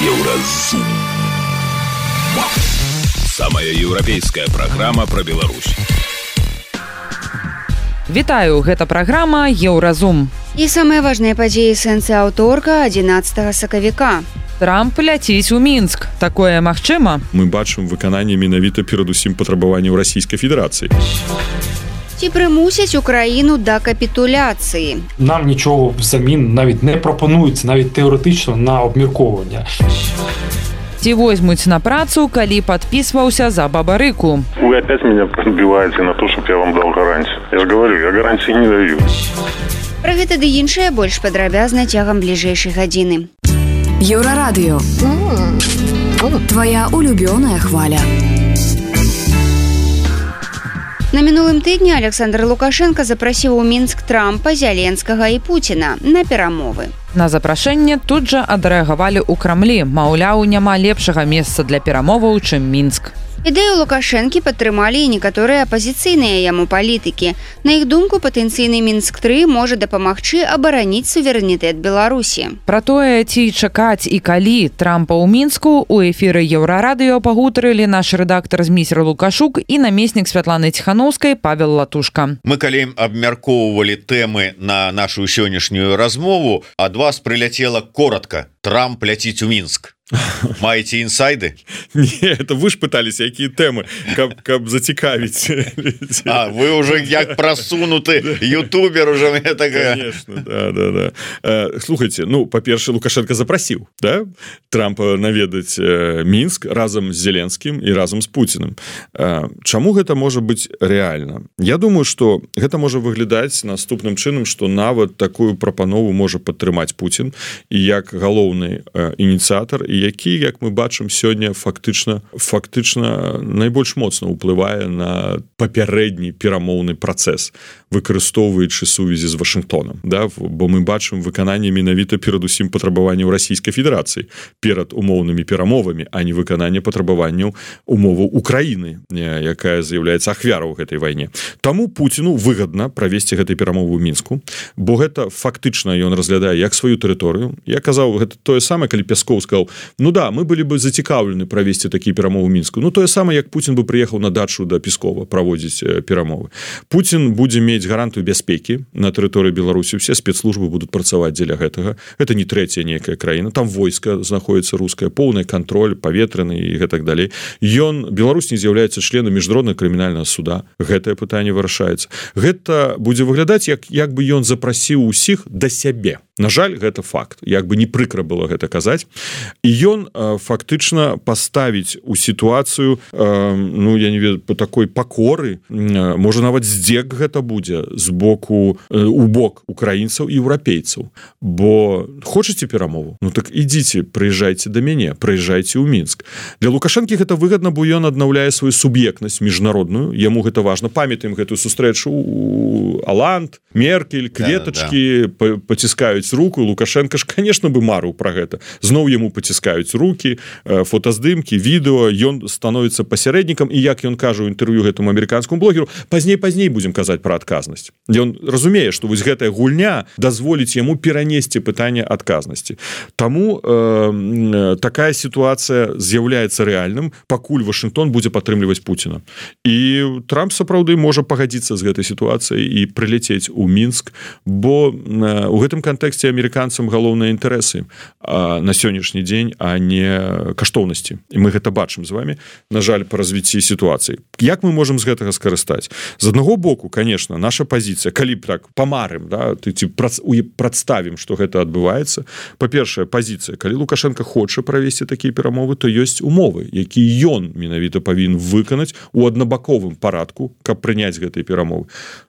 Еўразум. Самая еўрапейская праграма пра Беларусь. Вітаю, гэта праграма Еўразум. І самыя важныя падзеі сэнсы аўторка 11 сакавіка. Трамп ляціць у Мінск. Такое магчыма? Мы бачым выкананне менавіта перадусім патрабаванняў Расійскай Федэрацыі. Ці прымусяць Україну да капітуляцыі? Нам нічого взамін навіть не пропонується, навіть теоретично, на обмірковання. Ці возьмуць на працу, калі падпісваўся за Бабарыку? Вы опять меня подбиваете на то, чтобы я вам дал гарантию. Я же говорю, я гарантии не даю. Пра гэта ды іншае больш падрабязна цягам бліжэйшай гадзіны. Еўрарадыё. Твоя улюбёная хваля. На мінулым тыдні Александр Лукашенко запрасіў у Мінск Трампа, Зяленскага і Пуціна на перамовы. На запрашэнне тут жа адрэагавалі ў Крамлі. Маўляў, няма лепшага месца для перамоваў, чым Мінск. Ідэю Лукашэнкі падтрымалі і некаторыя апазіцыйныя яму палітыкі. На іх думку, патэнцыйны Мінск-3 можа дапамагчы абараніць суверэнітэт Беларусі. Пра тое, ці чакаць і калі Трампа ў Мінску, у эфіры Еўрарадыё пагутарылі наш рэдактар Зміцер Лукашук і намеснік Святланы Ціханаўскай Павел Латушка. Мы калі абмяркоўвалі тэмы на нашу сённяшнюю размову, ад вас прыляцела коротка: Трамп ляціць у Мінск. Маеце інсайды? Не, это вы ж пытались, якія тэмы, каб зацікавіць. А, вы уже як прасунуты ютубер уже мне такая. Конечно, да. Слухайте, ну, па-першае, Лукашенко запрасіў, да? Трампа наведаць Мінск разам з Зеленскім і разам з Пуціным. Чаму гэта можа быць рэальна? Я думаю, што гэта можа выглядаць наступным чынам, што нават такую прапанову можа падтрымаць Пуцін і як галоўны ініцыятар, і які, як мы бачым сёння, фактычна найбольш моцна ўплывае на папярэдні перамоўны працэс, выкарыстоўваючы сувязі з Вашынгтонам, да? Бо мы бачым выкананне менавіта перадусім патрабаванняў Расійскай Федэрацыі перад умоўнымі перамовамі, а не выкананне патрабаванняў умоваў Украіны, якая з'яўляецца ахвяраў гэтай вайне. Таму Пуціну выгадна правесці гэтай перамовы ў Мінску, бо гэта фактычна ён разглядае як сваю тэрыторыю. Я казаў, гэта тое самае, калі Пяскоў сказаў: ну да, мы былі бы зацікаўлены правесці такія перамовы ў Мінску. Ну тое самае, як Пуцін бы прыехаў на дачу да Пескова праводзіць перамовы. Пуцін будзе мець гарантыю бяспекі на тэрыторыі Беларусі, усе спецслужбы будуць працаваць дзеля гэтага. Гэта не трэцяя нейкая краіна, там войска знаходіцца рускае, поўны кантроль паветраны і гэтак далей. Беларусь не з'яўляецца членам міжнароднага крымінальнага суда. Гэтае пытанне вырашаецца. Гэта будзе выглядаць, як бы ён запрасіў усіх да сябе. На жаль, гэта факт. Як бы не прыкра было гэта казаць. І ён фактычна паставіць у сітуацыю, ну, я не ведаю, по такой пакоры, можа нават здзек гэта будзе з боку, у бок украінцаў і еўрапейцаў. Бо хочаце перамову? Ну так ідзіце, прыязджайце да мяне, прыязджайце ў Мінск. Для Лукашэнкі гэта выгадна, бо ён аднаўляе сваю суб'ектнасць міжнародную, яму гэта важна. Памятаем гэтую сустрэчу у Аланд, Меркель, кветачкі, паціскаюць руку. Лукашенко ж, конечно, бы марыў пра гэта. Зноў яму паціскаюць рукі, фотаздымкі, відэо, ён становіцца пасярэднікам, і як ён кажа ў інтэрв'ю гэтаму амерыканскому блогеру, пазней будзем казаць пра адказнасць. Ён разумее, што вось гэтая гульня дазволіць яму перанесці пытанне адказнасці. Таму такая сітуацыя з'яўляецца рэальным, пакуль Вашынгтон будзе падтрымліваць Пуціна. І Трамп сапраўды можа пагадзіцца з гэтай сітуацыяй і прылецець у Мінск, бо у гэтым кантэксце амерыканцам галоўныя інтарэсы на сённяшні дзень, а не каштоўнасці. І мы гэта бачым з вами, на жаль, па развіцці сітуацыі. Як мы можам з гэтага скарыстаць? З аднаго боку, конечно, наша пазіцыя, калі б так памарым, да, прадставім, што гэта адбываецца. Па-першае, пазіцыя, калі Лукашенко хоча правесці такія перамовы, то ёсць умовы, якія ён менавіта павінен выканаць у аднабаковым парадку, каб прыняць гэтыя перамовы.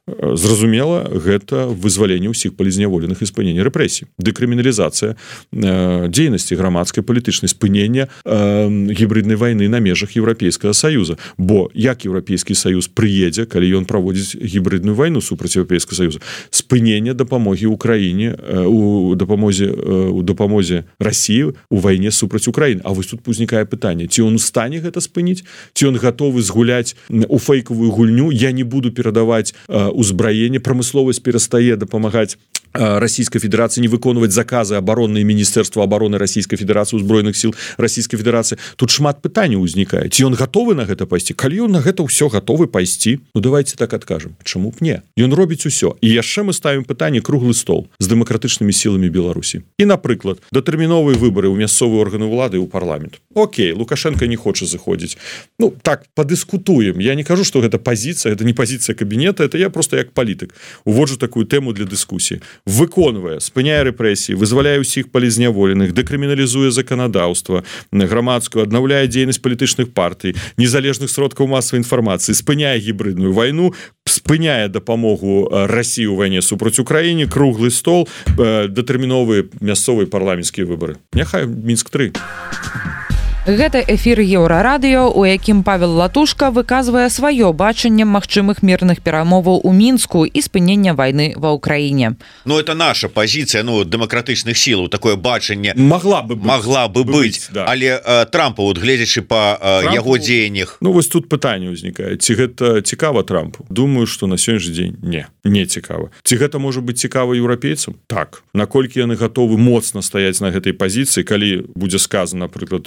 Зразумела, гэта вызваленне ўсіх палізняволеных і спынення рэпрэсій, дэкрыміналізацыя дзейнасці грамадскай, палітычнай, спынення гібриднай вайны на межах Еўрапейскага Саюза. Бо як Еўрапейскі Саюз прыедзе, калі ён праводзіць гібридную вайну супраць Еўрапейскага Саюза? Спынення дапамогі Украіне, у дапамозе Расіі у вайне супраць Украіны. А вось тут узнікае пытанне, ці ён у стане гэта спыніць, ці ён гатовы згуляць у фейкавую гульню, я не буду перадаваць узбраенне, прамысловасць перастае дапамагаць Расійскай Федэрацыі Федерации не выконваць заказы абаронныя Міністэрства обороны Российской Федерации, узброеных сил Российской Федерации. Тут шмат пытанняў узнікае. Ці ён гатовы на гэта пайсці? Калі ён на гэта ўсё гатовы пайсці, ну давайте так адкажем. Чаму б не? Ён робіць усё. І яшчэ мы ставім пытанне круглы стол з дэмакратычнымі сіламі Беларусі. І, напрыклад, датэрміновыя выбары ў мясцовыя органы ўлады і ў парламент. Окей, Лукашенко не хоча заходзіць. Ну, так, падыскутуем. Я не кажу, што гэта пазіцыя, гэта не пазіцыя кабінета, это я просто як палітык уводжу такую тэму для дыскусіі. Выконвае, спыняе рэпрэсіі, вызваляе ўсіх палізняволеных, дэкрыміналізуе заканадаўства, грамадскую, аднаўляе дзейнасць палітычных партый, незалежных сродкаў масавай інфармацыі, спыняе гібридную вайну, спыняе дапамогу России ў вайне супраць Украіне, круглы стол, датэрміновыя мясцовыя парламенцкія выбары. Няхай Мінск-3. Гэта эфір Еўрарадыё, у якім Павел Латушка выказвае сваё бачанне магчымых мірных перамоваў у Мінску і спынення вайны ва ўкраіне. Ну, это наша пазіцыя, ну, дэмакратычных сілаў, такое бачанне могла бы быць, да. Але Трампа, вот, гледзячы па яго дзеяннях... Ну, вось тут пытанне ўзнікае. Ці гэта цікава Трампу? Думаю, што на сённяшні дзень не цікава. Ці гэта можа быць цікава еўрапейцам? Так. Наколькі яны гатовы моцна стаяць на гэтай пазіцыі, калі будзе сказано, напрыклад,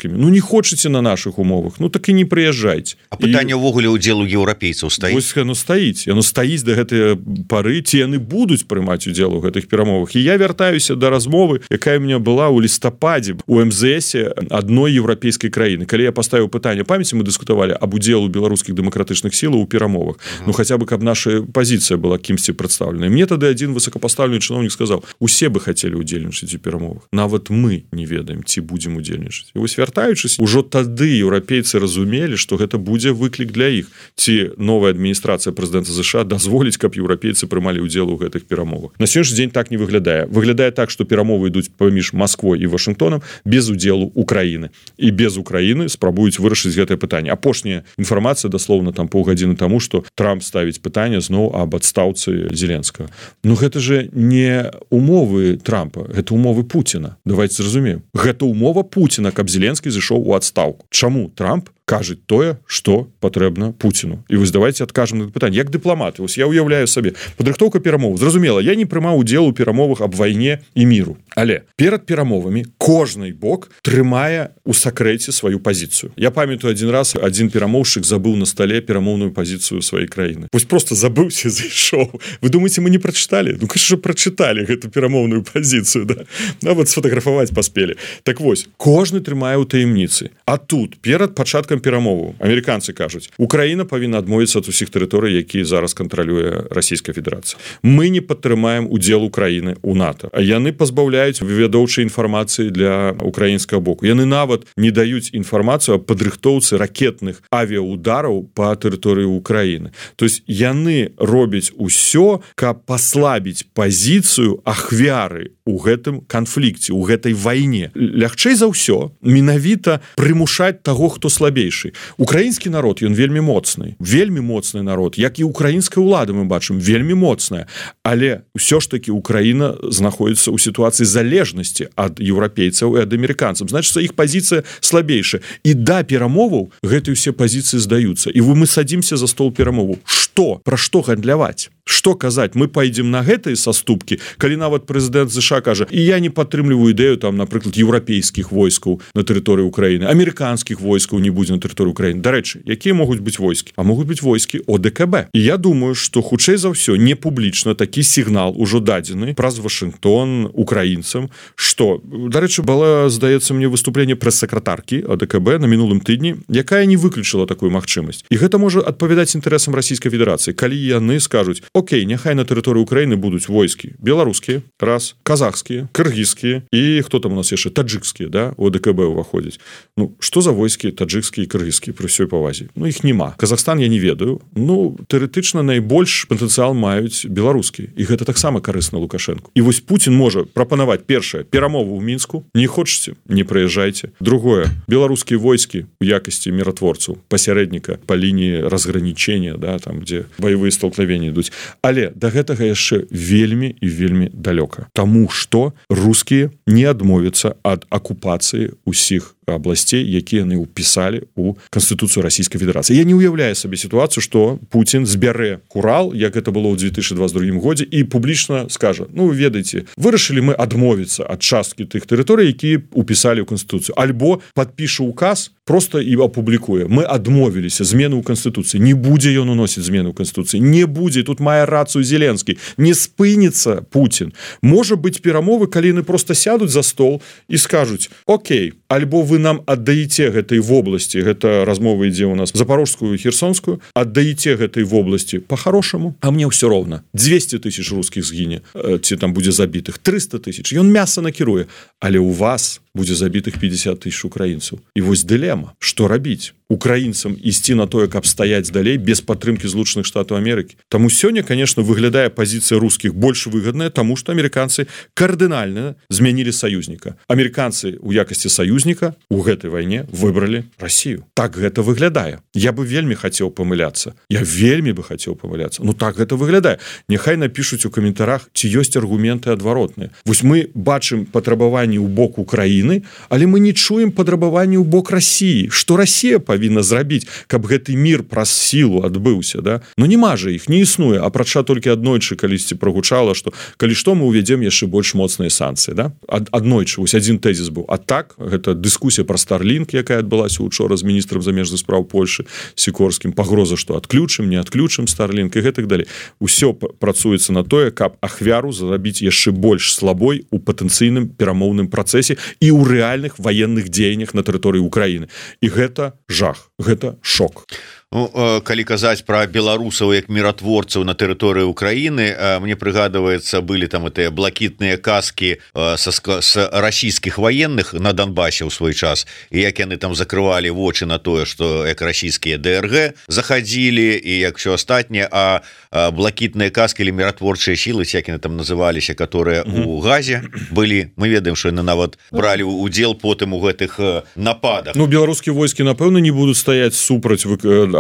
ну не хочаце на наших умовах, ну так і не прыязджайце. А пытанне ўвогуле удзелу еўрапейцаў стаіць? Вось яно стаіць да гэтай пары, ці яны будуць прымаць удзел у гэтых перамовах. І я вяртаюся да размовы, якая ў мяне была ў лістападзе у МЗС адной еўрапейскай краіны. Калі я паставіў пытанне, памяці, мы дыскутавалі аб удзелу беларускіх дэмакратычных сілаў у перамовах. Ну хаця бы каб наша пазіцыя была кімсьці прадстаўлена. Мне тады адзін высокапастаўлены чыноўнік сказаў: усе бы хацелі удзельнічаць у перамовах. Нават мы не ведаем, ці будзем удзельнічаць. І вось вяртаючыся, ужо тады еўрапейцы разумелі, што гэта будзе выклік для іх. Ці новая адміністрацыя прэзідэнта США дазволіць, каб еўрапейцы прымалі ўдзел у гэтых перамовах. На сённяшні дзень так не выглядае. Выглядае так, што перамовы ідуць паміж Масквой і Вашынгтонам без удзелу Украіны. І без Украіны спрабуюць вырашыць гэтае пытанне. Апошняя інфармацыя, даслоўна там паўгадзіны таму, што Трамп ставіць пытанне зноў аб адстаўцы Зеленскага. Ну гэта же не умовы Трампа, гэта умовы Пуціна. Давайте зразумеем. Гэта умова Пуціна, каб Зеленскі зышоў у адстаўку. Чаму Трамп кажа тое, што патрэбна Пуціну? І вось давайте адкажам на пытанне. Як дыпламаты, вось я ўяўляю сабе, падрыхтоўка перамоў. Зразумела, я не прымаў удзел у перамовах аб вайне і міру. Але перад перамовамі кожны бок трымае у сакрэце сваю пазіцыю. Я памятаю, адзін раз адзін перамоўшчык забыў на стале перамоўную пазіцыю сваёй краіны. Вось просто забыўся, зайшоў. Вы думаеце, мы не прачыталі? Ну, конечно, прачыталі гэту перамоўную пазіцыю, да? Нават сфотаграфаваць паспелі. Так вось, кожны трымае ў таямніцы. А тут, перад пачаткам перамоваў, амерыканцы кажуць, Украіна павінна адмовіцца ад усіх тэрыторый, якія зараз кантралюе Расійская Федэрацыя. Мы не падтрымаем удзел Украіны ў НАТО. А яны пазбаўляюць вывядоўчай інфармацыі для украінскага боку. Яны нават не даюць інфармацыю аб падрыхтоўцы ракетных авіаудараў па тэрыторыі Украіны. То есть яны робяць усё, каб паслабіць пазіцыю ахвяры у гэтым канфлікце, у гэтай вайне. Лягчэй за ўсё менавіта прымушаць таго, хто слабейшы. Украінскі народ, ён вельмі моцны народ, як і украінская ўлада, мы бачым, вельмі моцная. Але ўсё ж такі Украіна знаходзіцца ў сітуацыі залежнасці ад еўрапейцаў і ад амерыканцаў. Значыцца, іх пазіцыя слабейшая. І да перамоваў гэтыя ўсе пазіцыі здаюцца. І мы садзімся за стол перамоваў. Што? Пра што гандляваць? Што казаць? Мы пойдзем на гэтыя саступкі, калі нават прэзідэнт США кажа: і я не падтрымліваю ідэю, там, напрыклад, еўрапейскіх войскаў на тэрыторыі Украіны, амерыканскіх войскаў не будзе на тэрыторыі Украіны. Дарэчы, якія могуць быць войскі? А могуць быць войскі ОДКБ. І я думаю, што хутчэй за ўсё не публічна такі сігнал ужо дадзены праз Вашынгтон украінцам, што, дарэчы, было, здаецца мне, выступленне прэс-сакратаркі ОДКБ на мінулым тыдні, якая не выключыла такую магчымасць. І гэта можа адпавядаць інтарэсам Расійскай Федэрацыі, калі яны скажуць: окей, няхай на тэрыторыі Украіны будуць войскі беларускія, раз, казахскія, кыргызскія і хто там у нас яшчэ, таджыкскія, да, у ОДКБ уваходзяць. Ну, што за войскі таджыкскія і кыргызскія пры ўсёй павазе? Ну, іх няма. Казахстан я не ведаю. Ну, тэарэтычна найбольш патэнцыял маюць беларускія. І гэта таксама карысна Лукашенку. І вось Пуцін можа прапанаваць, першае, перамову ў Мінску. Не хочаце? Не прыязджайце. Другое, беларускія войскі у якасці міратворцаў, пасярэдніка па лініі разгранічення, да, там, дзе баявыя столкновенні ідуць. Але да гэтага яшчэ вельмі і вельмі далёка. Таму што рускія не адмовяцца ад акупацыі ўсіх абласцей, якія яны ўпісалі у Канстытуцыю Расійскай Федэрацыі. Я не уяўляю сабе сітуацыю, што Пуцін збярэ Урал, як гэта было ў 2022 годзе, і публічна скажа: ну, вы ведаеце, вырашылі мы адмовіцца ад часткі тых тэрыторый, якія ўпісалі ў Канстытуцыю, альбо падпіша указ просто і апублікуе: мы адмовіліся, змены ў Канстытуцыі, не будзе ён уносіць змены ў Канстытуцыі, не будзе, тут мае рацыю Зеленскі, не спыніцца Пуцін. Можа быць перамовы, калі яны просто сядуць за стол і скажуць: окей, альбо вы нам аддаеце гэтай вобласці, гэта размова ідзе у нас запорожскую, херсонскую, аддаеце гэтай вобласці по-хорошаму, а мне ўсё роўна, 200 тысяч русскіх згіне, ці там будзе забітых 300 тысяч, ён мяса накіруе, але у вас будзе забітых 50 тысяч украінцаў. І вось дылема, што рабіць украінцам ісці на тое, каб стаяць далей без падтрымкі Злучаных Штатаў Амерыкі. Таму сёння, конечно, выглядае пазіцыя рускіх больш выгадная, таму што амерыканцы кардынальна змянілі саюзніка. Амерыканцы у якасці саюзніка у гэтай вайне выбралі Расію. Так гэта выглядае. Я бы вельмі хацеў памыляцца. Я вельмі бы хацеў памыляцца. Ну так гэта выглядае. Няхай напішуць у каментарах, ці ёсць аргументы адваротныя. Вось мы бачым патрабаванні ў бок Украіны, але мы не чуем патрабаванні ў бок Расіі. Што Расія павінна зрабіць, каб гэты мір праз сілу адбыўся, да? Ну нема жа іх, не існуе, апрача толькі аднойчы калісьці прагучала, што калі што мы ўвядзем яшчэ больш моцныя санкцыі, да? Аднойчы, вось адзін тэзіс быў. А так, гэта дыскусія пра Starlink, якая адбылася учора з міністрам замежных спраў Польшы Сікорскім, пагроза, што адключым, не адключым Starlink і гэтак далей. Усё працуецца на тое, каб ахвяру зрабіць яшчэ больш слабой у патэнцыйным перамоўным працэсе і ў рэальных ваенных дзеяннях на тэрыторыі Украіны. І гэта жах, гэта шок. Ну, калі казаць пра беларусаў як міратворцаў на тэрыторыі Украіны, мне прыгадваецца, былі там гэтыя блакітныя каскі з расійскіх ваенных на Донбасе ў свой час, і як яны там закрывалі вочы на тое, што як расійскія ДРГ захадзілі і як все астатняе, а блакітныя каскі или міратворчыя сілы, як яны там называліся, которые у Газе былі, мы ведаем, што яны нават бралі удзел потым у гэтых нападах. Ну, беларускія войскі, напэўна, не будуць стаяць супраць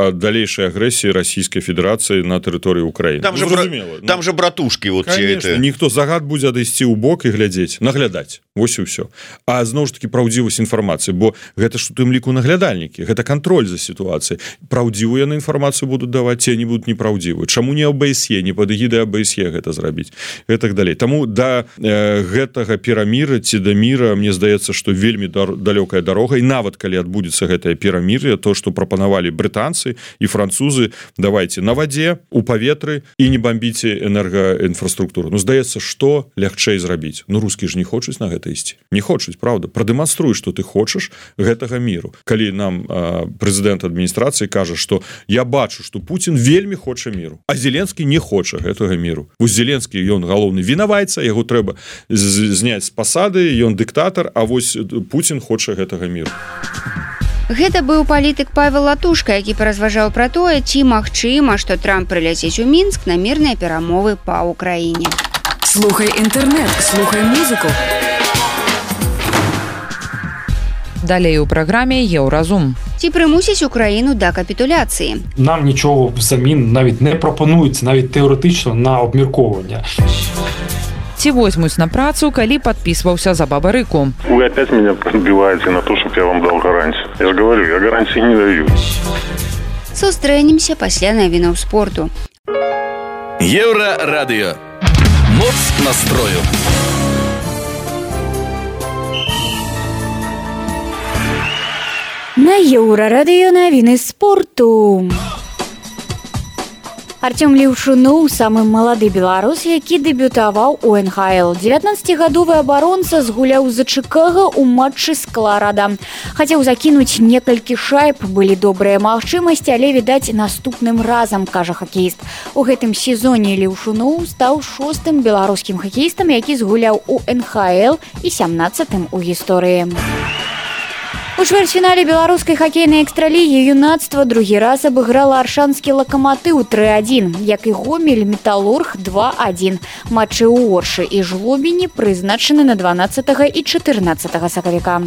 далейшай агрэсіі Расійскай Федэрацыі на тэрыторыі Украіны. Там, там же братушкі. Вот конечно, ніхто загад будзе адысці ў бок і глядзець, наглядаць. Вось і ўсё. А зноў ж таки праўдзівасць інфармацыі, бо гэта ж у тым ліку наглядальнікі, гэта кантроль за сітуацыяй. Праўдзівую яны інфармацыю будуць даваць, ці не будуць непраўдзівую. Чаму не ОБСЕ, не пад эгідай ОБСЕ гэта зрабіць? І так далей. Таму да гэтага перамір'я ці да міра, мне здаецца, што вельмі далёкая дарога, і нават калі адбудзецца гэтае перамір'е, то, што прапанавалі брытанцы і французы, давайте на вадзе, у паветры і не бомбіце энергаінфраструктуру. Ну, здаецца, што лягчэй зрабіць? Ну, русскія ж не хочуць на гэта ісці. Не хочуць, правда? Прадэманструй, што ты хочаш гэтага міру. Калі нам прэзідэнт адміністрацыі кажа, што я бачу, што Пуцін вельмі хоча міру, а Зеленскі не хоча гэтага міру. Вось Зеленскі, ён галоўны вінавайца, яго трэба зняць з пасады, ён дыктатар, а вось Пуцін хоча гэтага міру. Гэта быў палітык Павел Латушка, які паразважаў пра тое, ці магчыма, што Трамп прыляцець у Мінск на мірныя перамовы па Ўкраіне. Слухай інтэрнэт, слухай музыку. Далей у праграме Еўразум. Ці прымусіць Україну да капітуляції? Нам нічого взамін навіть не пропонується, навіть теоретично, на обмірковування. Ці возьмуць на працу, калі падпісваўся за Бабарыку. Вы опять меня подбиваете на то, чтобы я вам дал гарантию. Я же говорю, я гарантии не даю. Сустрэнемся пасля навінаў спорту. Еўрарадыё. Моц настрою. На Еўрарадыё навіны спорту. Артём Леўшуноў, самы малады беларус, які дэбютаваў у НХЛ. 19-гадовы абаронца згуляў за Чыкага ў матчы з Каларада. Хацеў закінуць некалькі шайб, былі добрыя магчымасці, але, відаць, наступным разам, кажа хакеіст. У гэтым сезоне Леўшуноў стаў 6-м беларускім хакеістам, які згуляў у НХЛ і 17-м у гісторыі. У чвэрцьфінале беларускай хакейнай экстралігі юнацтва другі раз абыграла аршанскі Лакаматыў 3-1, як і Гомель Металург 2-1. Матчы ў Оршы і Жлобіні прызначаны на 12 і 14 сакавіка.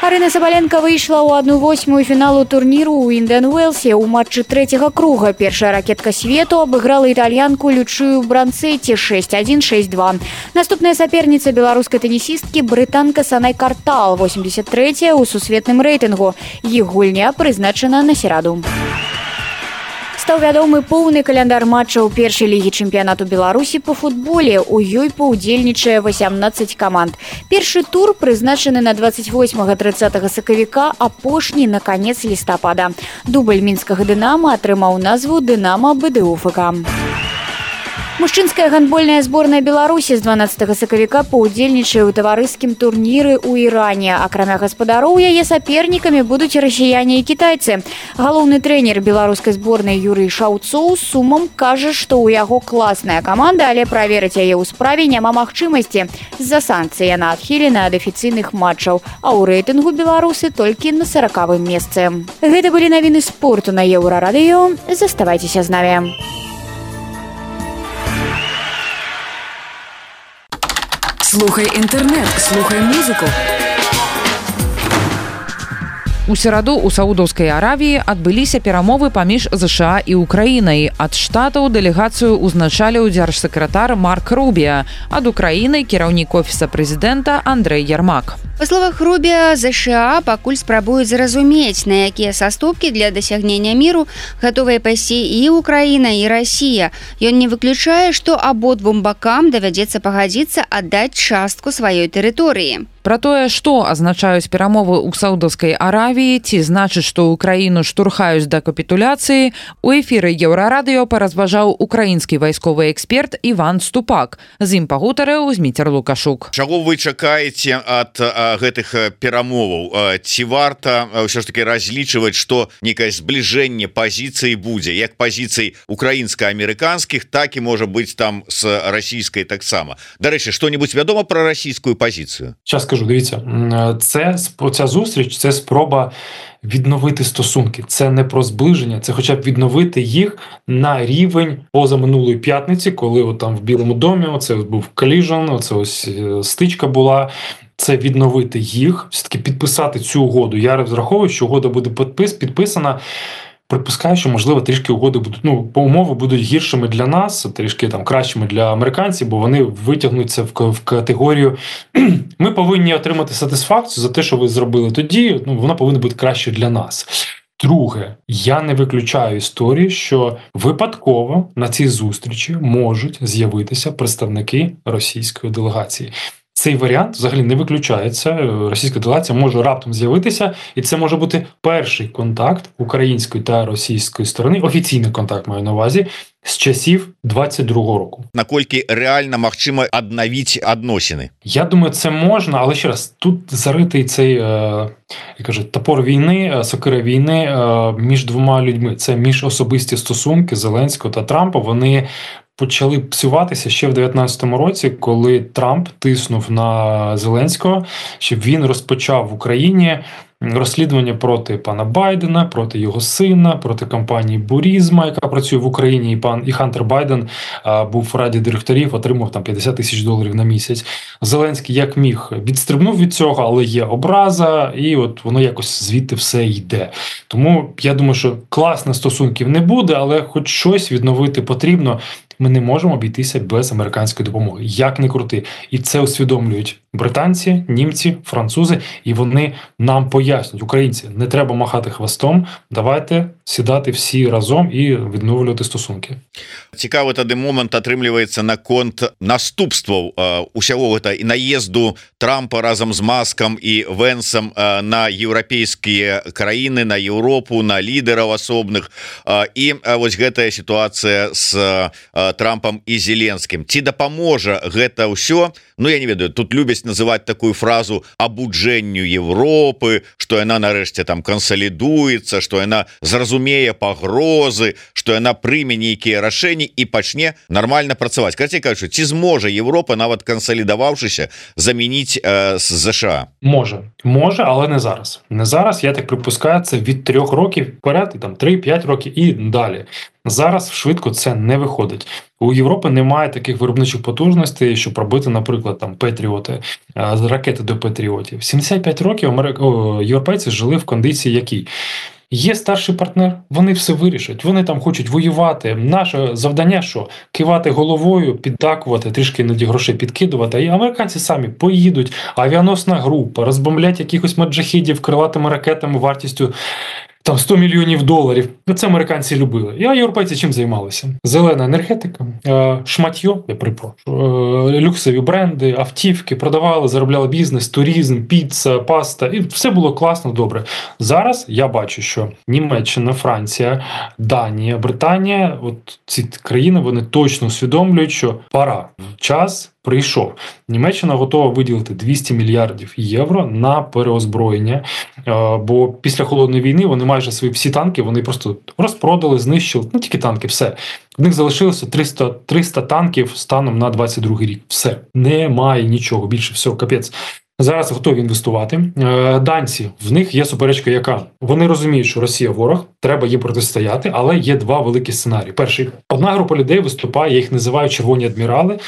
Арына Сабаленко выйшла ў 1/8 фіналу турніру ў Індиан Уэлсе ў матчы трэцяга круга. Першая ракетка свету абыграла італьянку Лючыю Бранцэці 6-1, 6-2. Наступная саперніца беларускай тэнісісткі брытанка Санай Картал, 83-я ў сусветным рэйтынгу. Іх гульня прызначана на сераду. Стаў вядомы поўны каляндар матчаў першай лігі чэмпіянату Беларусі па футболе. У ёй паўдзельнічае 18 каманд. Першы тур прызначаны на 28-30 сакавіка, апошні на канец лістапада. Дубль мінскага «Дынама» атрымаў назву «Дынама БДУ-ФК». Мужчынская гандбольная зборная Беларусі з 12 сакавіка паўдзельнічае ў таварыскім турніры ў Іране. Акрамя гаспадароў, яе сапернікамі будуць расіяне і кітайцы. Галоўны трэнер беларускай зборнай Юрый Шаўцоў з сумам кажа, што ў яго класная каманда, але праверыць яе ў справе няма магчымасці. З-за санкцый яна адхілена ад афіцыйных матчаў, а ў рэйтынгу беларусы толькі на 40-м месцы. Гэта былі навіны спорту на Еўрарадыё. Заставайцеся з намі. Слухай інтэрнэт, слухай музыку. У сераду ў Саудаўскай Аравіі адбыліся перамовы паміж ЗША і Украінай. Ад штатаў дэлегацыю ўзначаліў дзяржсакратар Марк Рубіа. Ад Украіны кіраўнік офіса прэзідэнта Андрэй Ярмак. Па словах Рубіа, ЗША пакуль спрабуюць зразумець, на якія саступкі для дасягнення міру гатовыя пайсці і Украіна, і Расія. Ён не выключае, што абодвум бакам давядзецца пагадзіцца аддаць частку сваёй тэрыторыі. Пра тое, што азначаюць перамовы ў Саудаўскай Аравіі, ці значыць, што ўкраіну штурхаюць да капітуляцыі, у эфіры Еўрарадыё паразважаў украінскі вайсковы эксперт Іван Ступак. З ім пагутарыў Зміцер Лукашук. Чаго вы чакаеце ад гэтых перамоваў? Ці варта ўсё ж таки разлічваць, што некае збліжэнне пазіцый будзе, як пазіцый украінска-амерыканскіх, так і можа быць там з расійскай таксама. Дарэчы, што-небудзь вядома пра расійскую пазіцыю? Кажу, дивіться, ця зустріч – це спроба відновити стосунки. Це не про зближення, це хоча б відновити їх на рівень позаминулої п'ятниці, коли от там в Білому домі, оце був коліжн, оце ось стичка була. Це відновити їх, все-таки підписати цю угоду. Я розраховую, що угода буде підписана. Припускаю, що, можливо, трішки угоди будуть, по умови будуть гіршими для нас, трішки там кращими для американців, бо вони витягнуться в категорію ми повинні отримати сатисфакцію за те, що ви зробили тоді, вона повинна бути краще для нас. Друге, я не виключаю історії, що випадково на цій зустрічі можуть з'явитися представники російської делегації. Цей варіант взагалі не виключається. Російська делегація може раптом з'явитися, і це може бути перший контакт української та російської сторони, офіційний контакт маю на увазі, з часів 22-го року. Наколькі реально можливо відновити відносини? Я думаю, це можна, але ще раз, тут заритий цей, як кажуть, топор війни, сокира війни між двома людьми. Це міжособисті стосунки Зеленського та Трампа, вони почали псуватися ще в 19-му році, коли Трамп тиснув на Зеленського, щоб він розпочав в Україні розслідування проти пана Байдена, проти його сина, проти компанії Бурізма, яка працює в Україні, і Хантер Байден був в раді директорів, отримав там $50 000 на місяць. Зеленський як міг відстрибнув від цього, але є образа, і от воно якось звідти все йде. Тому я думаю, що класних стосунків не буде, але хоч щось відновити потрібно. Ми не можемо обійтися без американської допомоги. Як не крути. І це усвідомлюють британці, німці, французи, і вони нам пояснюють, українці, не треба махати хвостом, давайте сідати всі разом і відновлювати стосунки. Цікавий тоді момент атрымліваецца наконт наступстваў усяго гэта і наезду Трампа разам з Маскам і Венсам на еўрапейскія краіны, на Еўропу, на лідераў асобных. І вось гэтая сітуацыя з Трампам і Зеленскім. Ці дапаможа гэта ўсё? Ну, я не ведаю, тут любяць называць такую фразу абуджэнню Европы, што яна нарэшце там кансалідуецца, што яна зразумее пагрозы, што яна прыме нейкія рашэнні і пачне нармальна працаваць. Карацей кажучы, ці зможа Европа, нават кансалідаваўшыся, замяніць ЗША? Може, але не зараз. Не зараз, я так припускаю, це від 3 років вперед, і там 3-5 років і далі. Зараз швидко це не виходить. У Європи немає таких виробничих потужностей, щоб робити, наприклад, там Петріоти, ракети до Петріотів. 75 років європейці жили в кондиції якій? Є старший партнер, вони все вирішать, вони там хочуть воювати. Наше завдання, що? Кивати головою, піддакувати, трішки іноді грошей підкидувати, і американці самі поїдуть, авіаносна група, розбомблять якихось маджахідів крилатими ракетами вартістю там $100 мільйонів. Це американці любили. А європейці чим займалися? Зелена енергетика, шматьо, я припрошую, люксові бренди, автівки, продавали, заробляли бізнес, туризм, піца, паста. І все було класно, добре. Зараз я бачу, що Німеччина, Франція, Данія, Британія, от ці країни, вони точно усвідомлюють, що пора, час прийшов. Німеччина готова виділити 200 мільярдів євро на переозброєння, бо після Холодної війни вони майже свої всі танки, вони просто розпродали, знищили, тільки танки, все. В них залишилося 300 танків станом на 22-й рік. Все. Немає нічого, більше всього, капець. Зараз готові інвестувати. Данці, в них є суперечка яка? Вони розуміють, що Росія ворог, треба їй протистояти, але є два великі сценарії. Перший. Одна група людей виступає, я їх називаю червоні адмірали,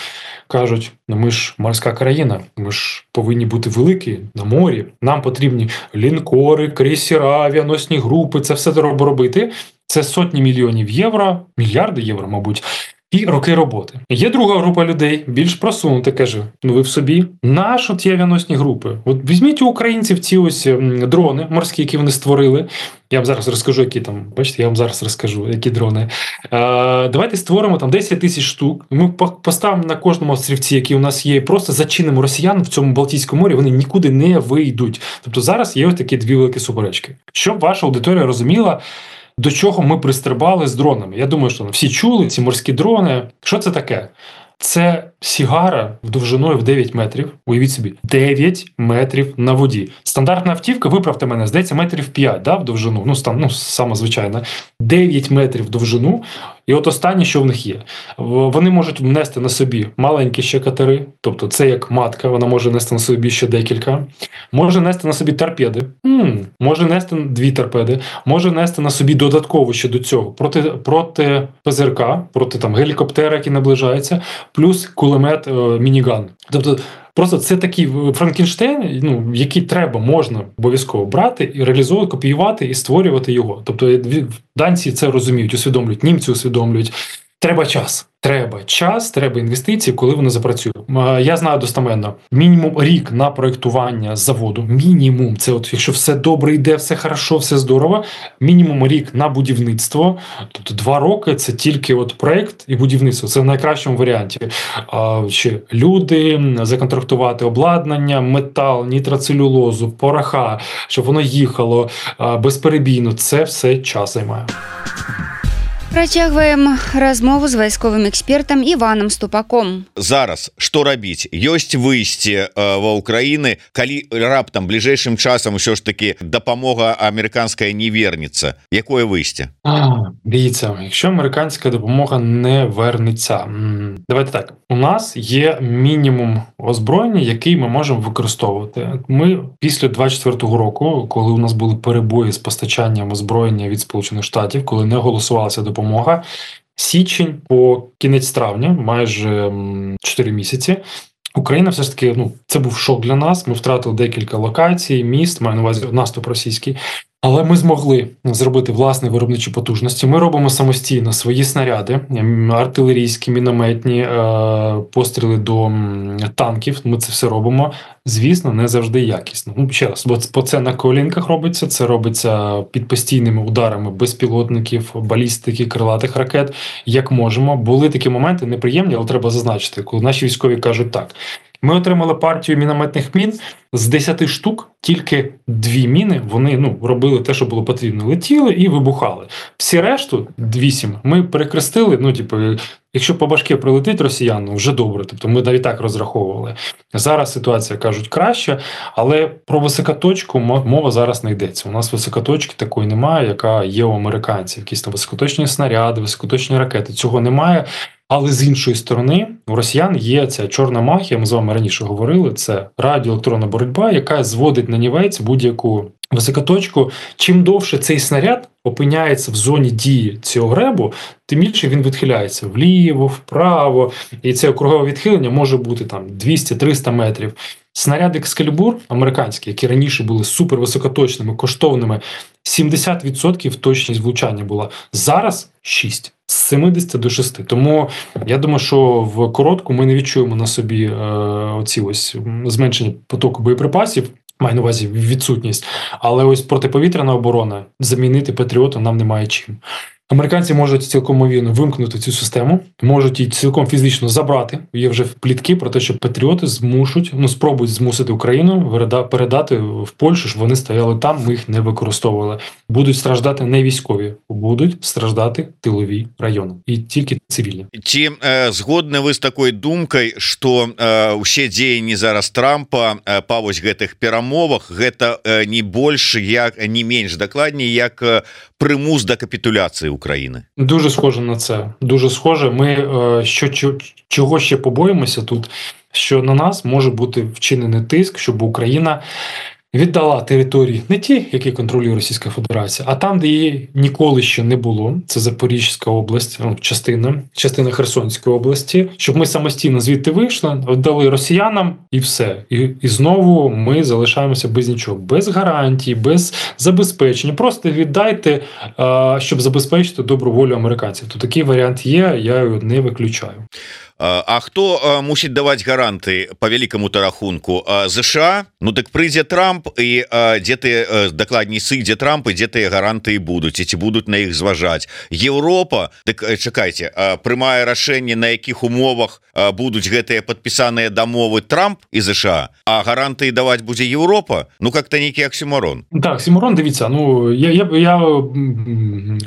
кажуть, ми ж морська країна, ми ж повинні бути великі на морі, нам потрібні лінкори, крейсера, авіаносні групи, це все треба робити. Це сотні мільйонів євро, мільярди євро, мабуть, і роки роботи. Є друга група людей, більш просунута, каже, ви в собі, наші ті авіаносні групи. От візьміть у українців ці ось дрони морські, які вони створили. Я вам зараз розкажу, які там, бачите, я вам зараз розкажу, які дрони. Давайте створимо там 10 тисяч штук, ми поставимо на кожному острівці, які у нас є, просто зачинимо росіян в цьому Балтійському морі, вони нікуди не вийдуть. Тобто зараз є ось такі дві великі суперечки. Щоб ваша аудиторія розуміла, до чого ми пристрибали з дронами. Я думаю, що всі чули ці морські дрони. Що це таке? Це сігара довжиною в 9 метрів. Уявіть собі, 9 метрів на воді. Стандартна автівка, виправте мене, здається, метрів 5, да, в довжину. Саме звичайно. 9 метрів в довжину. І от останнє, що в них є. Вони можуть нести на собі маленькі ще катери, тобто це як матка, вона може нести на собі ще декілька. Може нести на собі торпеди. Може нести 2 торпеди. Може нести на собі додатково ще до цього проти ПЗРК, проти там гелікоптера, який наближається, плюс кулемет мініган. Тобто просто це такий Франкенштейн, який можна обов'язково брати і реалізовувати, копіювати і створювати його. Тобто данці це розуміють, усвідомлюють, німці усвідомлюють. Треба час, треба інвестиції, коли вони запрацюють. Я знаю достеменно, мінімум рік на проєктування заводу, мінімум, це от якщо все добре йде, все хорошо, все здорово, мінімум рік на будівництво, тобто 2 роки це тільки от проєкт і будівництво, це в найкращому варіанті. Ще люди, законтрактувати обладнання, метал, нітроцелюлозу, пороха, щоб воно їхало безперебійно, це все час займає. Працягваем размову з вайсковым экспертам Іванам Ступаком. Зараз што рабіць? Ёсць выйсце ва Украіны, калі раптам бліжэйшым часам усё ж таки дапамога американская не вернецца. Якое выйсце? Дивіться, якщо американська допомога не вернеться. Давайте так. У нас є мінімум озброєння, який ми можемо використовувати. Ми після 24-го року, коли у нас були перебої з постачанням озброєння від Сполучених Штатів, коли не голосувалася допомога, січень по кінець травня, майже 4 місяці, Україна все ж таки, це був шок для нас, ми втратили декілька локацій, міст, маю на увазі наступ російський, але ми змогли зробити власні виробничі потужності. Ми робимо самостійно свої снаряди, артилерійські, мінометні, постріли до танків, ми це все робимо. Звісно, не завжди якісно. Ще раз, бо це на колінках робиться, це робиться під постійними ударами безпілотників, балістики, крилатих ракет, як можемо. Були такі моменти неприємні, але треба зазначити, коли наші військові кажуть так. Ми отримали партію мінометних мін, з 10 штук тільки 2 міни, вони робили те, що було потрібно, летіли і вибухали. Всі решту, 8, ми перекрестили, якщо по башки прилетить росіян, вже добре, тобто ми навіть так розраховували. Зараз ситуація, кажуть, краща, але про високоточку мова зараз не йдеться. У нас високоточки такої немає, яка є у американців. Якісь там високоточні снаряди, високоточні ракети, цього немає. Але з іншої сторони, у росіян є ця чорна магія, ми з вами раніше говорили, це радіоелектронна боротьба, яка зводить на нівець будь-яку високоточку, чим довше цей снаряд опиняється в зоні дії цього гребу, тим більше він відхиляється вліво, вправо, і це округове відхилення може бути там 200-300 метрів. Снаряди Екскалібур американські, які раніше були супервисокоточними, коштовними, 70% точність влучання була. Зараз 6. З 70 до 6. Тому я думаю, що в коротку ми не відчуємо на собі оці ось зменшення потоку боєприпасів, маю на увазі відсутність, але ось протиповітряна оборона замінити Патріота нам немає чим. Американці можуть цілком ймовірно вимкнути цю систему, можуть її цілком фізично забрати. Є вже плітки про те, що Патріоти спробують змусити Україну передати в Польщу, щоб вони стояли там, ми їх не використовували. Будуть страждати не військові, будуть страждати тилові райони. І тільки цивільні. Ці згодны вы з такой думкай, што ўсе дзеянні зараз Трампа па вось гэтых перамовах гэта не больш, не менш дакладней, як примус до капітуляції України. Дуже схоже на це. Дуже схоже. Ми чого ще побоїмося тут, що на нас може бути вчинений тиск, щоб Україна віддала території не ті, які контролює Російська Федерація, а там, де її ніколи ще не було, це Запорізька область, частина Херсонської області, щоб ми самостійно звідти вийшли, віддали росіянам і все. І знову ми залишаємося без нічого, без гарантій, без забезпечення. Просто віддайте, щоб забезпечити добру волю американців. То такий варіант є, я його не виключаю. А хто мусить даваць гаранты по великому рахунку? США? Ну так прыйдзе Трамп, і дзе ты дакладней сыдзе Трамп, і дзе тыя гаранты будуць, і ці будуць на іх зважаць? Еўропа? Так чакайце, прымае рашэнне, на якіх умовах будуць гэтыя падпісаныя дамовы Трамп і США, а гаранты даваць будзе Еўропа? Ну как-то нейкі оксюморон. Так, оксюморон, дивіться, я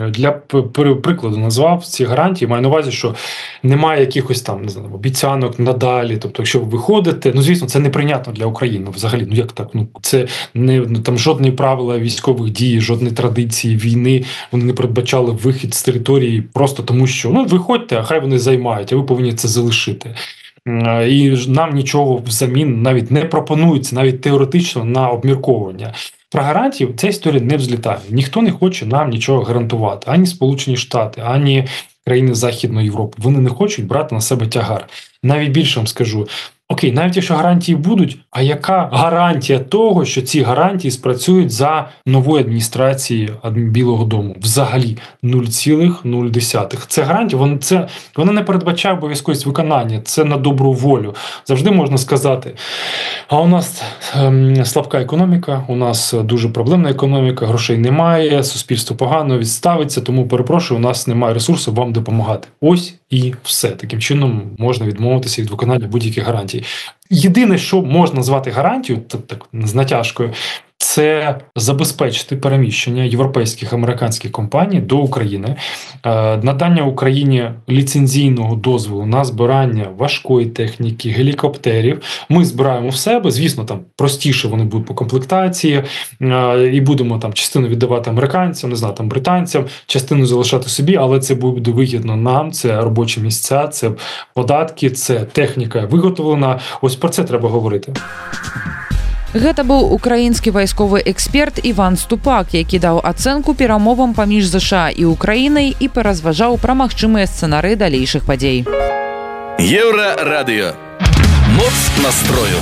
для прикладу назвав ці гарантії, маю на увазі, що немає якихось там, не знаю, обіцянок надалі, тобто, якщо ви виходите, звісно, це неприйнятно для України взагалі, як так, це не там жодні правила військових дій, жодні традиції війни, вони не передбачали вихід з території просто тому, що, виходьте, а хай вони займають, а ви повинні це залишити. І нам нічого взамін навіть не пропонується, навіть теоретично, на обмірковування. Про гарантії ця історія не взлітає. Ніхто не хоче нам нічого гарантувати. Ані Сполучені Штати, ані країни Західної Європи. Вони не хочуть брати на себе тягар. Навіть більше вам скажу. Окей, навіть якщо гарантії будуть, а яка гарантія того, що ці гарантії спрацюють за новою адміністрацією Білого дому? Взагалі 0,0. Це гарантія, вона не передбачає обов'язковість виконання, це на добру волю. Завжди можна сказати, а у нас слабка економіка, у нас дуже проблемна економіка, грошей немає, суспільство погано відставиться, тому, перепрошую, у нас немає ресурсів вам допомагати. Ось і все. Таким чином можна відмовитися від виконання будь-яких гарантій. Єдине, що можна назвати гарантією, так з натяжкою, це забезпечити переміщення європейських, американських компаній до України, надання Україні ліцензійного дозволу на збирання важкої техніки, гелікоптерів. Ми збираємо в себе, звісно, там простіше вони будуть по комплектації, і будемо там частину віддавати американцям, не знаю, там британцям, частину залишати собі, але це буде вигідно нам, це робочі місця, це податки, це техніка виготовлена. Ось про це треба говорити. Гэта быў украінскі вайсковы эксперт Іван Ступак, які даў ацэнку перамовам паміж ЗША і Украінай і паразважаў пра магчымыя сцэнары далейшых падзей. Еўрарадыё. Моц настрою.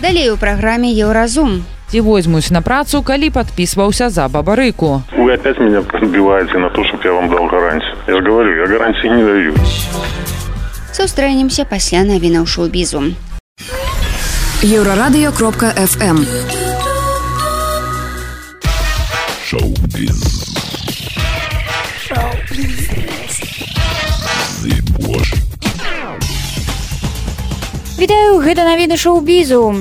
Далей у праграме Еўразум. Ці возьмуць на працу, калі падпісваўся за бабарыку. Вы опять меня подбиваете на то, чтобы я вам дал гарантию. Я же говорю, я гарантии не даю. Сустрэнемся пасля навінаў шоу-бізу. Еврорадио.фм. Шоу-біз. Вітаю, гэта навіны шоу-бізу.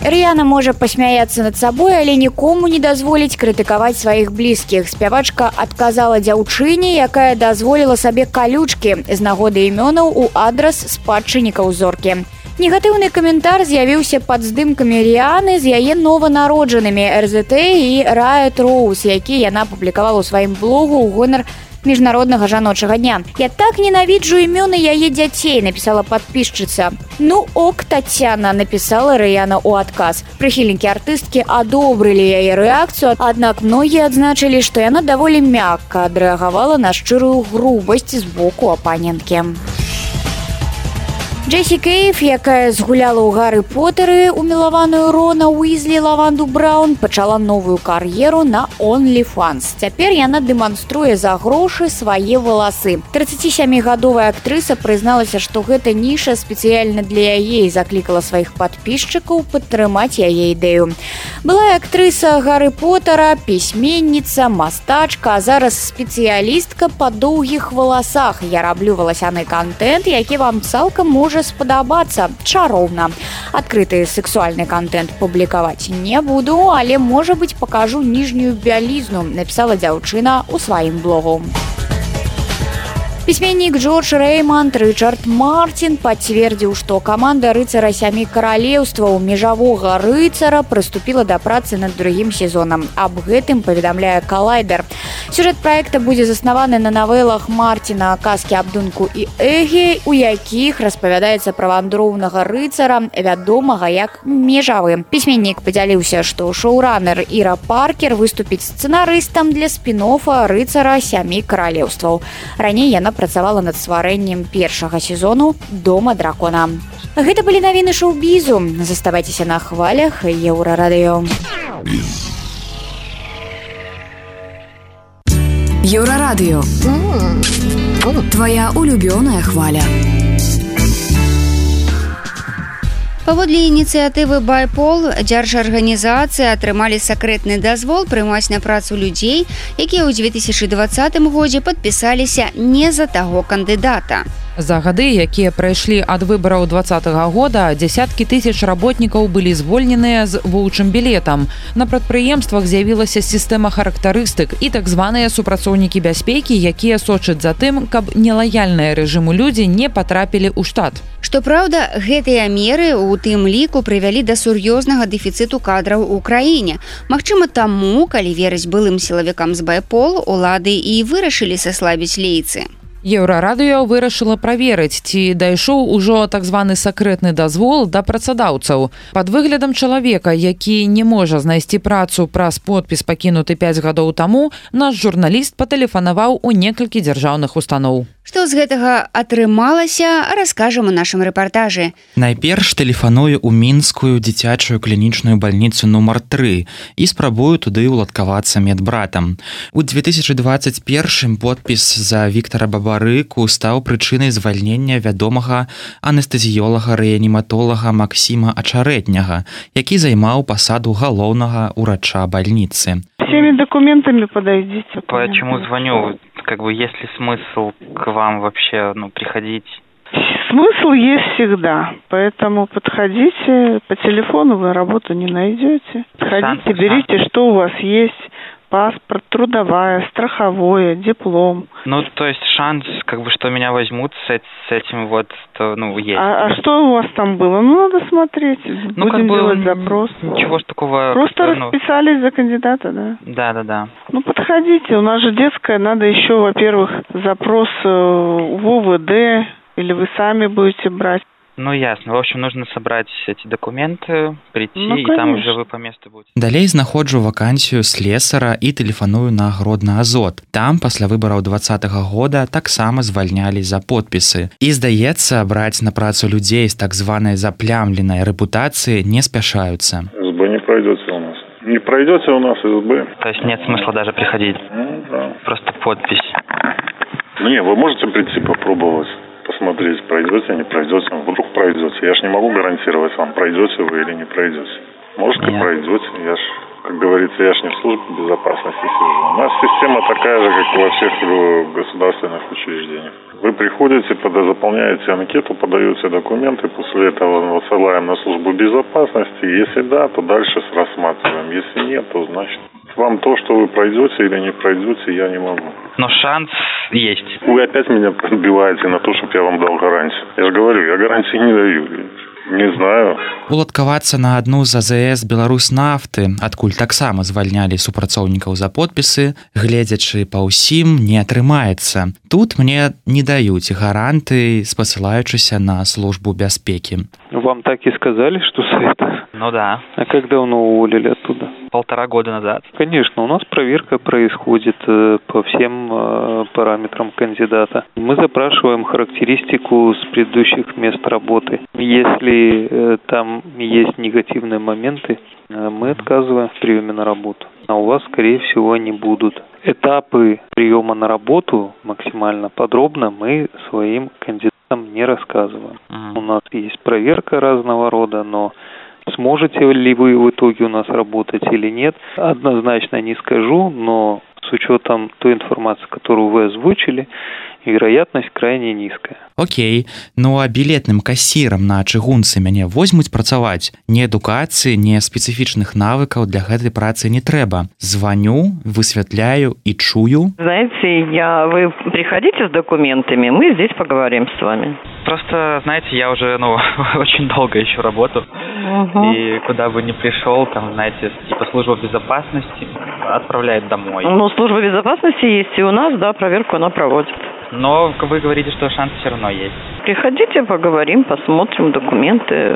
Ріяна можа пасмяяцца над сабой, але нікому не дазволіць крытыкаваць сваіх блізкіх. Спявачка адказала дзяўчыне, якая дазволіла сабе калючкі з нагоды імёнаў у адрас спадчыннікаў зоркі. Негатыўны каментар з'явіўся пад здымкамі Ріяны з яе нованароджанымі РЗТ і Riot Rose, які яна публікавала ў сваім блогу ў гонар міжнароднага жаночага дня. Я так ненавіджу імёны яе дзяцей, напісала падпісчыца. Ну ок, Татьяна, напісала Рыяна ў адказ. Прыхільнікі артысткі адобрылі яе рэакцыю, аднак многія адзначылі, што яна даволі мякка адрэагавала на шчырую грубасць з боку апаненткі. Джесси Кейв, якая згуляла ў Гары Потэры умілаваную Рона Уизли Лаванду Браун, пачала новую кар'еру на OnlyFans. Цяпер яна дэманструе за грошы свае валасы. 37-гадовая актрыса прызналася, што гэта ніша спецыяльна для яе і заклікала сваіх падпісчыкаў падтрымаць яе ідэю. Былая актрыса Гары Потэра, пісьменніца, мастачка, а зараз спецыялістка па доўгіх валасах. Я раблю валасяны контент, які вам цалкам можа спадабацца. Чароўна. Адкрыты сексуальны контент публікаваць не буду, але, можа быць, пакажу ніжнюю бялізну, напісала дзяўчына ў сваім блогу. Пісьменнік Джордж Рэйманд Рычард Мартин пацвердзіў, што каманда рыцара сямі каралеўстваў межавога рыцара прыступіла да працы над другім сезонам. Аб гэтым паведамляе Калайдер. Сюжэт праекта будзе заснаваны на навелах Мартина «Казкі аб Дунку і Эгі», у якіх распавядаецца пра вандроўнага рыцара, вядомага як межавы. Пісьменнік падзяліўся, што шоуранер Іра Паркер выступіць сцэнарыстам для спін-оффа рыцара сямі каралеўстваў. Раней яна працавала над стварэннем першага сезону «Дома дракона». Гэта былі навіны шоу-бізу. Заставайцеся на хвалях Еўрарадыё. Еўрарадыё. Твоя улюбёная хваля. Паводле ініцыятывы «Байпол» дзяржарганізацыі атрымалі сакрэтны дазвол прымаць на працу людзей, якія ў 2020 годзе падпісаліся не за таго кандыдата. За гады, якія прайшлі ад выбараў 2020 года, дзясяткі тысяч работнікаў былі звольненыя з воўчым білетам. На прадпрыемствах з'явілася сістэма характарыстык і так званыя супрацоўнікі бяспекі, якія сочаць за тым, каб нелаяльныя рэжыму людзі не патрапілі ў штат. Што праўда, гэтыя меры у тым ліку прывялі да сур'ёзнага дэфіцыту кадраў у краіне. Магчыма, таму, калі верыць былым сілавікам з Байпол, улады і вырашылі саслабіць лейцы. Еўрарадыё вырашыла праверыць, ці дайшоў ужо так званы сакрэтны дазвол да працадаўцаў. Пад выглядам чалавека, які не можа знайсці працу праз подпіс пакінуты 5 гадоў таму, наш журналіст патэлефанаваў у некалькі дзяржаўных устаноў. Што з гэтага атрымалася, раскажам у нашым рэпартажы. Найперш тэлефаную ў мінскую дзіцячую клінічную бальніцу нумар 3 і спрабую туды ўладкавацца медбратам. У 2021 подпіс за Віктара Бабарыку стаў прычынай звальнення вядомага анестэзіёлага-рэаніматолага Максіма Ачарэтняга, які займаў пасаду галоўнага ўрача бальніцы. Всеми документами подойдите. Почему звоню? Как бы есть ли смысл к вам вообще приходить? Смысл есть всегда, поэтому подходите. По телефону вы работу не найдете. Подходите, берите, что у вас есть. Паспорт, трудовая, страховое, диплом. То есть шанс, что меня возьмут с этим есть. А что у вас там было? Надо смотреть. Будем делать запрос. Ничего ж такого. Просто расписались за кандидата, да? Да. Подходите. У нас же детская. Надо еще, во-первых, запрос в УВД, или вы сами будете брать. Ясно. В общем, нужно собрать эти документы, прийти, и там уже вы по месту будете. Далей знаходжу вакансію слесара і тэлефаную на Гродны Азот. Там, пасля выбараў 2020 года, таксама звальнялі за подпісы. І, здаецца, браць на працу людзей з так званай заплямленай рэпутацыі не спяшаюцца. СБ не пройдете у нас. Не пройдете у нас СБ. То есть нет смысла даже приходить? Да. Просто подпись. Вы можете прийти попробовать. Посмотреть, пройдете, не пройдете, вдруг пройдете. Я ж не могу гарантировать вам, пройдете вы или не пройдете. Может, и пройдете. Я ж, как говорится, я ж не в службе безопасности сижу. У нас система такая же, как и во всех государственных учреждениях. Вы приходите, заполняете анкету, подаете документы, после этого высылаем на службу безопасности. Если да, то дальше рассматриваем. Если нет, то значит вам то, что вы пройдете или не пройдете, я не могу. Но шанс есть. Вы опять меня подбиваете на то, чтобы я вам дал гарантию. Я же говорю, я гарантии не даю. Не знаю. Уладкавацца на адну з АЗС Беларуснафты, адкуль таксама звальнялі супрацоўнікаў за подпісы, гледзячы па ўсім, не атрымаецца. Тут мне не даюць гаранты, спасылаючыся на службу бяспекі. Вам так и сказали, что с этого? Ну да. А как давно уволили оттуда? 1,5 года назад. Конечно, у нас проверка происходит по всем параметрам кандидата. Мы запрашиваем характеристику с предыдущих мест работы. Если там есть негативные моменты, мы отказываем в приеме на работу. А у вас, скорее всего, они будут. Этапы приема на работу максимально подробно мы своим кандидатам не рассказываем. У нас есть проверка разного рода, но сможете ли вы в итоге у нас работать или нет, однозначно не скажу, но с учетом той информации, которую вы озвучили, вероятность крайне низкая. Окей, ну а білетным кассірам на чыгунцы мяне возьмуць працаваць. Ні адукацыі, ні спецыфічных навыкаў для гэтай працы не трэба. Звоню, высвятляю и чую. Знаете, вы приходите с документами, мы здесь поговорим с вами. Просто, знаете, я уже, очень долго ищу работу. И куда бы ни пришел, там, знаете, типа служба безопасности отправляет домой. Ну, служба безопасности есть и у нас, да, проверку она проводит. Но вы говорите, что шанс все равно есть. Приходите, поговорим, посмотрим документы,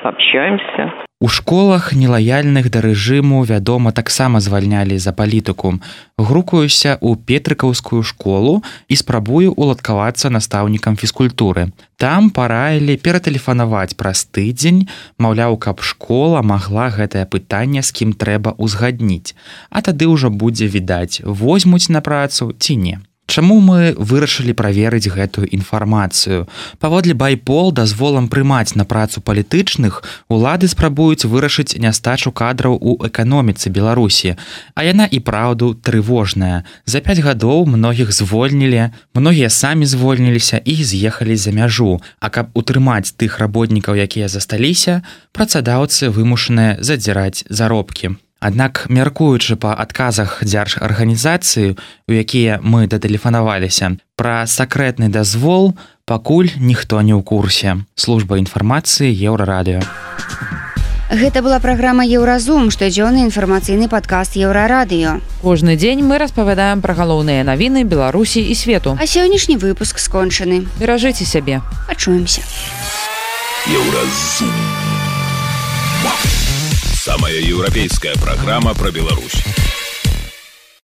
общаемся. У школах нелаяльных да рэжыму, вядома, таксама звальнялі за палітыку. Грукаюся ў Петрыкаўскую школу і спрабую уладкавацца настаўнікам фізкультуры. Там параілі ператэлефанаваць праз тыдзень, маўляў, каб школа магла гэтае пытанне з кім трэба ўзгадніць. А тады ўжо будзе відаць, возьмуць на працу ці не. Чаму мы вырашылі праверыць гэтую інфармацыю? Паводле байпол дазволам прымаць на працу палітычных, улады спрабуюць вырашыць нястачу кадраў у эканоміцы Беларусі. А яна і праўду трывожная. За 5 гадоў многіх звольнілі, многія самі звольніліся і з'ехалі за мяжу. А каб утрымаць тых работнікаў, якія засталіся, працадаўцы вымушаныя задзіраць заробкі. Аднак, мяркуючы па адказах дзяржарганізацыі, у якія мы датэлефанаваліся, пра сакрэтны дазвол пакуль ніхто не ў курсе. Служба інфармацыі Еўрарадыё. Гэта была праграма «Еўразум», штодзённы інфармацыйны падкаст «Еўрарадыё». Кожны дзень мы распавядаем пра галоўныя навіны Беларусі і свету. А сённяшні выпуск скончаны. Беражыце сябе. Пачуемся. Еўразум. Самая европейская программа про Беларусь.